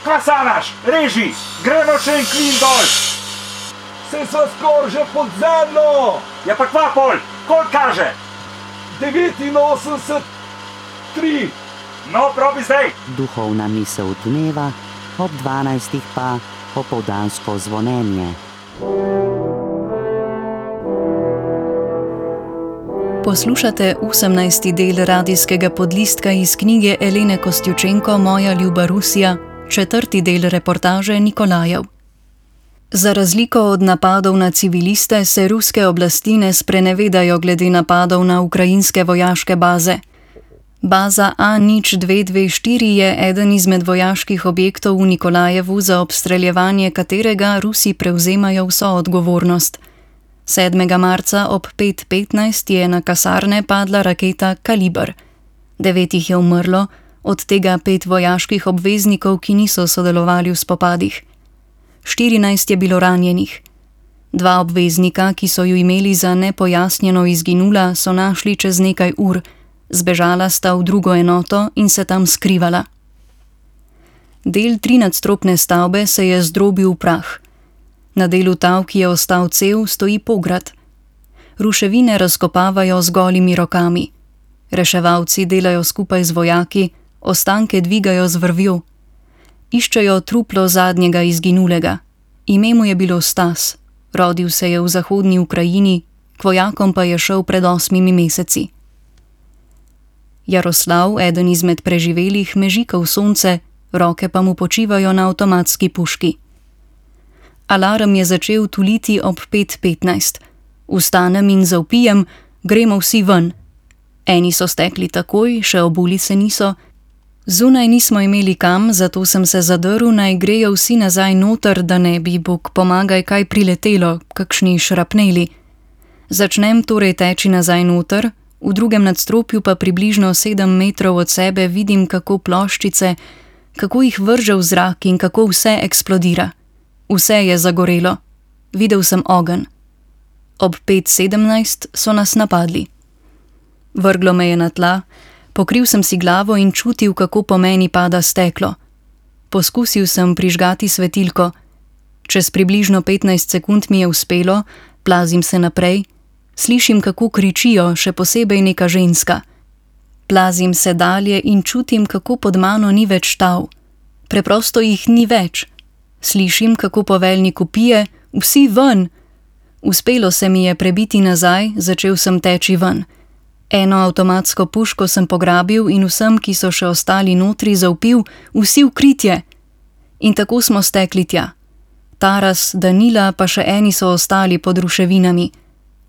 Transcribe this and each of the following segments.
Kaj sanaš? Reži, gremo še en klin dol. Se sva skoraj že pod zemljo. Ja pa kva pol, koliko kaže? 89,3. No, probi zdaj. Duhovna misel dneva, ob 12. pa popoldansko zvonjenje. Poslušate 18. del radijskega podlistka iz knjige Elene Kostjučenko Moja ljuba Rusija, 4. del reportaže Nikolajev. Za razliko od napadov na civiliste se ruske oblasti ne sprenevedajo glede napadov na ukrajinske vojaške baze. Baza A0224 je eden izmed vojaških objektov v Nikolajevu, za obstreljevanje katerega Rusi prevzemajo vso odgovornost. 7. marca ob 5:15 je na kasarne padla raketa Kaliber. 9 jih je umrlo, od tega 5 vojaških obveznikov, ki niso sodelovali v spopadih. 14 je bilo ranjenih. 2 obveznika, ki so ju imeli za nepojasnjeno izginula, so našli čez nekaj ur. Zbežala sta v drugo enoto in se tam skrivala. Del 3-nadstropne stavbe se je zdrobil v prah. Na delu tav, ki je ostal cel, stoji pograd. Ruševine razkopavajo z golimi rokami. Reševalci delajo skupaj z vojaki, ostanke dvigajo z vrvjo. Iščejo truplo zadnjega izginulega. Ime mu je bilo Stas. Rodil se je v zahodni Ukrajini, k vojakom pa je šel pred 8 meseci. Jaroslav, eden izmed preživelih, mežika v sonce, roke pa mu počivajo na avtomatski puški. Alarm je začel tuliti ob 5:15. Vstanem in zavpijem, gremo vsi ven. Eni so stekli takoj, še obuli se niso. Zunaj nismo imeli kam, zato sem se zadrl, naj grejo vsi nazaj noter, da ne bi, Bog pomagaj, kaj priletelo, kakšni šrapneli. Začnem torej teči nazaj noter, v drugem nadstropju pa približno 7 metrov od sebe vidim, kako ploščice, kako jih vrže v zrak in kako vse eksplodira. Vse je zagorelo. Videl sem ogenj. Ob 5:17 so nas napadli. Vrglo me je na tla, pokril sem si glavo in čutil, kako po meni pada steklo. Poskusil sem prižgati svetilko. Čez približno 15 sekund mi je uspelo, plazim se naprej, slišim, kako kričijo, še posebej neka ženska. Plazim se dalje in čutim, kako pod mano ni več tav. Preprosto jih ni več. Slišim, kako poveljnik vpije, vsi ven. Uspelo se mi je prebiti nazaj, začel sem teči ven. Eno avtomatsko puško sem pograbil in vsem, ki so še ostali notri, zavpil, vsi v kritje. In tako smo stekli tja. Taras, Danila pa še eni so ostali pod ruševinami.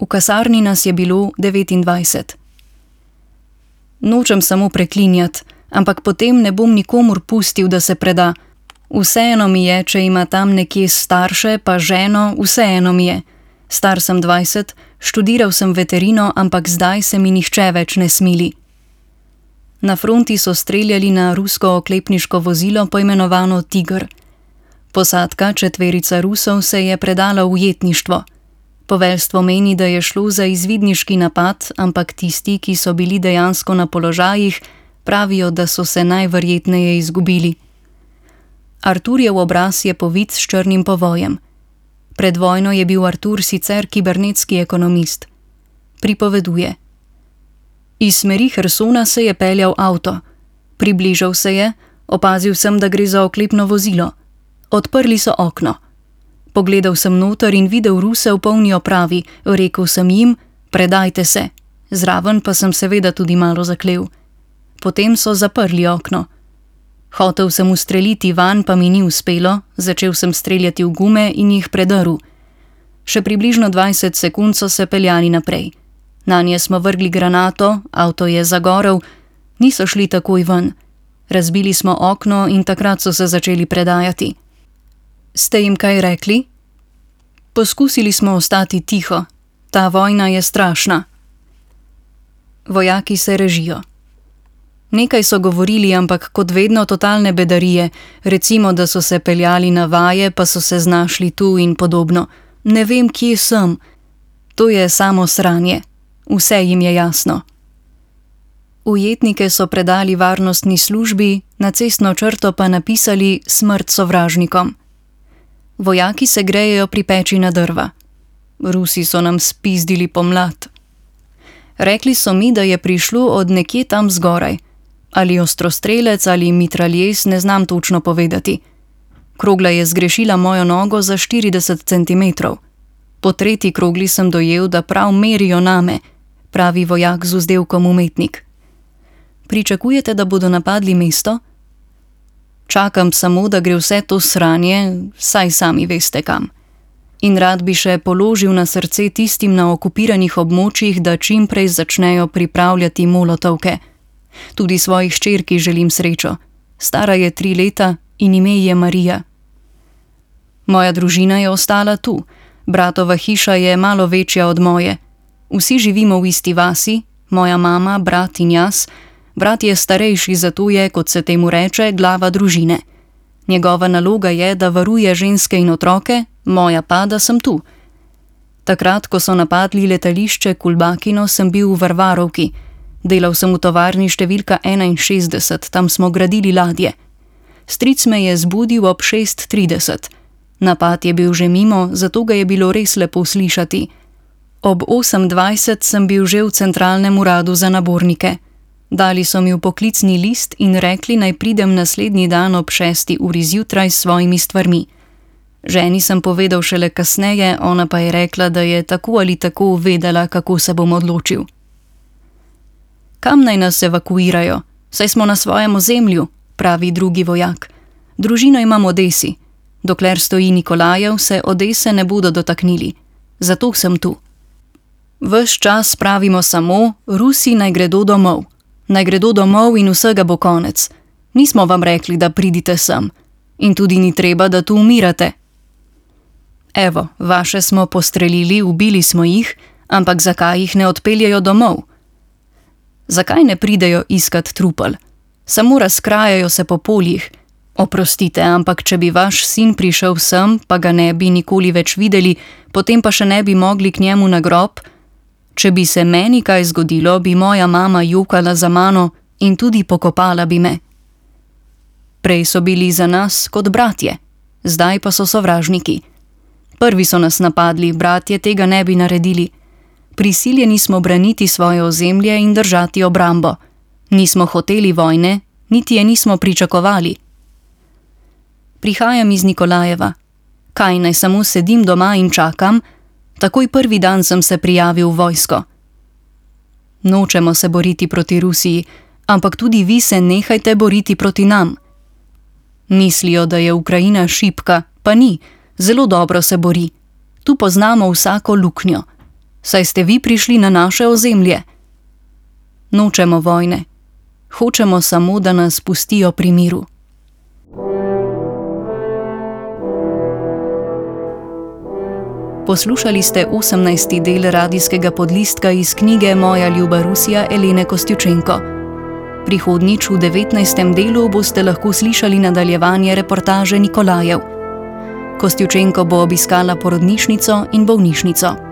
V kasarni nas je bilo 29. Nočem samo preklinjati, ampak potem ne bom nikomur pustil, da se preda. Vseeno mi je, če ima tam nekje starše, pa ženo, vseeno mi je. Star sem 20, študiral sem veterino, ampak zdaj se mi nihče več ne smili. Na fronti so streljali na rusko oklepniško vozilo, poimenovano Tiger. Posadka, 4 Rusov, se je predala v ujetništvo. Poveljstvo meni, da je šlo za izvidniški napad, ampak tisti, ki so bili dejansko na položajih, pravijo, da so se najverjetneje izgubili. Arturjev obraz je povit s črnim povojem. Pred vojno je bil Artur sicer kibernetski ekonomist. Pripoveduje. Iz smeri Hersona se je peljal avto. Približal se je, opazil sem, da gre za oklepno vozilo. Odprli so okno. Pogledal sem noter in videl Ruse v polni opravi, rekel sem jim, predajte se. Zraven pa sem seveda tudi malo zaklel. Potem so zaprli okno. Hotel sem ustreliti van, pa mi ni uspelo, začel sem streljati v gume in jih predrl. Še približno 20 sekund so se peljali naprej. Nanje smo vrgli granato, avto je zagorel, niso šli takoj ven. Razbili smo okno in takrat so se začeli predajati. Ste jim kaj rekli? Poskusili smo ostati tiho. Ta vojna je strašna. Vojaki se režijo. Nekaj so govorili, ampak kot vedno totalne bedarije, recimo, da so se peljali na vaje, pa so se znašli tu in podobno. Ne vem, kje sem. To je samo sranje. Vse jim je jasno. Ujetnike so predali varnostni službi, na cestno črto pa napisali smrt sovražnikom. Vojaki se grejejo pri peči na drva. Rusi so nam spizdili pomlad. Rekli so mi, da je prišlo od nekje tam zgoraj. Ali ostrostrelec ali mitraljes, ne znam točno povedati. Krogla je zgrešila mojo nogo za 40 centimetrov. Po tretji krogli sem dojel, da prav merijo name, pravi vojak z vzdevkom umetnik. Pričakujete, da bodo napadli mesto? Čakam samo, da gre vse to sranje, saj sami veste kam. In rad bi še položil na srce tistim na okupiranih območjih, da čim prej začnejo pripravljati molotovke. Tudi svoji hčerki želim srečo. Stara je 3 leta in ime je Marija. Moja družina je ostala tu. Bratova hiša je malo večja od moje. Vsi živimo v isti vasi, moja mama, brat in jaz. Brat je starejši, zato je, kot se temu reče, glava družine. Njegova naloga je, da varuje ženske in otroke, moja pa, da sem tu. Takrat, ko so napadli letališče Kulbakino, sem bil v Varvarovki. Delal sem v tovarni številka 61, tam smo gradili ladje. Stric me je zbudil ob 6:30. Napad je bil že mimo, zato ga je bilo res lepo slišati. Ob 8:20 sem bil že v centralnem uradu za nabornike. Dali so mi poklicni list in rekli, naj pridem naslednji dan ob 6. uri zjutraj s svojimi stvarmi. Ženi sem povedal šele kasneje, ona pa je rekla, da je tako ali tako vedela, kako se bom odločil. Kam naj nas evakuirajo? Saj smo na svojem ozemlju, pravi drugi vojak. Družino imam v Odesi. Dokler stoji Nikolajev, se Odese ne bodo dotaknili. Zato sem tu. Ves čas pravimo samo, Rusi naj gredo domov. Naj gredo domov in vsega bo konec. Nismo vam rekli, da pridite sem. In tudi ni treba, da tu umirate. Evo, vaše smo postrelili, ubili smo jih, ampak zakaj jih ne odpeljejo domov? Zakaj ne pridejo iskat trupel? Samo razkrajajo se po poljih. Oprostite, ampak če bi vaš sin prišel sem, pa ga ne bi nikoli več videli, potem pa še ne bi mogli k njemu na grob. Če bi se meni kaj zgodilo, bi moja mama jokala za mano in tudi pokopala bi me. Prej so bili za nas kot bratje, zdaj pa so sovražniki. Prvi so nas napadli, bratje tega ne bi naredili. Prisiljeni smo braniti svoje ozemlje in držati obrambo. Nismo hoteli vojne, niti je nismo pričakovali. Prihajam iz Nikolajeva. Kaj naj samo sedim doma in čakam? Takoj prvi dan sem se prijavil v vojsko. Nočemo se boriti proti Rusiji, ampak tudi vi se nehajte boriti proti nam. Mislijo, da je Ukrajina šibka, pa ni, zelo dobro se bori. Tu poznamo vsako luknjo. Saj ste vi prišli na naše ozemlje. Nočemo vojne. Hočemo samo, da nas pustijo pri miru. Poslušali ste 18. del radijskega podlistka iz knjige Moja ljuba Rusija Elene Kostjučenko. Prihodnjič v 19. delu boste lahko slišali nadaljevanje reportaže Nikolajev. Kostjučenko bo obiskala porodnišnico in bolnišnico.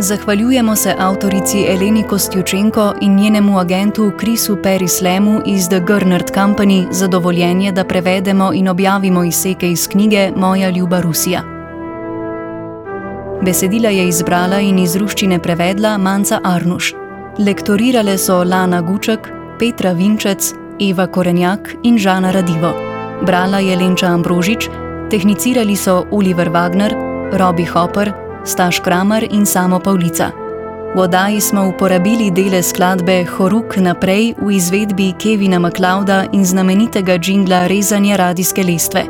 Zahvaljujemo se avtorici Eleni Kostjučenko in njenemu agentu Chrisu Perislemu iz The Gernert Company za dovoljenje, da prevedemo in objavimo izseke iz knjige Moja ljuba Rusija. Besedila je izbrala in iz ruščine prevedla Manca Arnuš. Lektorirale so Lana Guček, Petra Vinčec, Eva Korenjak in Žana Radivo. Brala je Lenča Ambrožič, tehnicirali so Oliver Wagner, Robbie Hopper, Staš Kramer in Samo Pavlica. V oddaji smo uporabili dele skladbe Horuk naprej v izvedbi Kevina MacLeoda in znamenitega džingla Rezanje radijske lestve.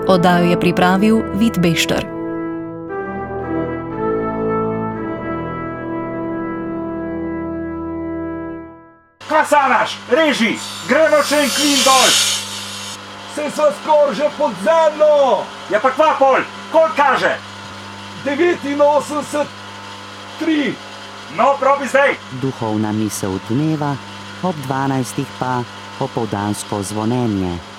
Oddajo je pripravil Vid Bešter. Kasanaš, reži, gremo še en klin dol. Se sva skoraj že pod zemljo! Ja pa kva pol, koliko kaže? 89, 3. No, probi zdaj! Duhovna misel dneva, ob 12. pa opoldansko zvonjenje.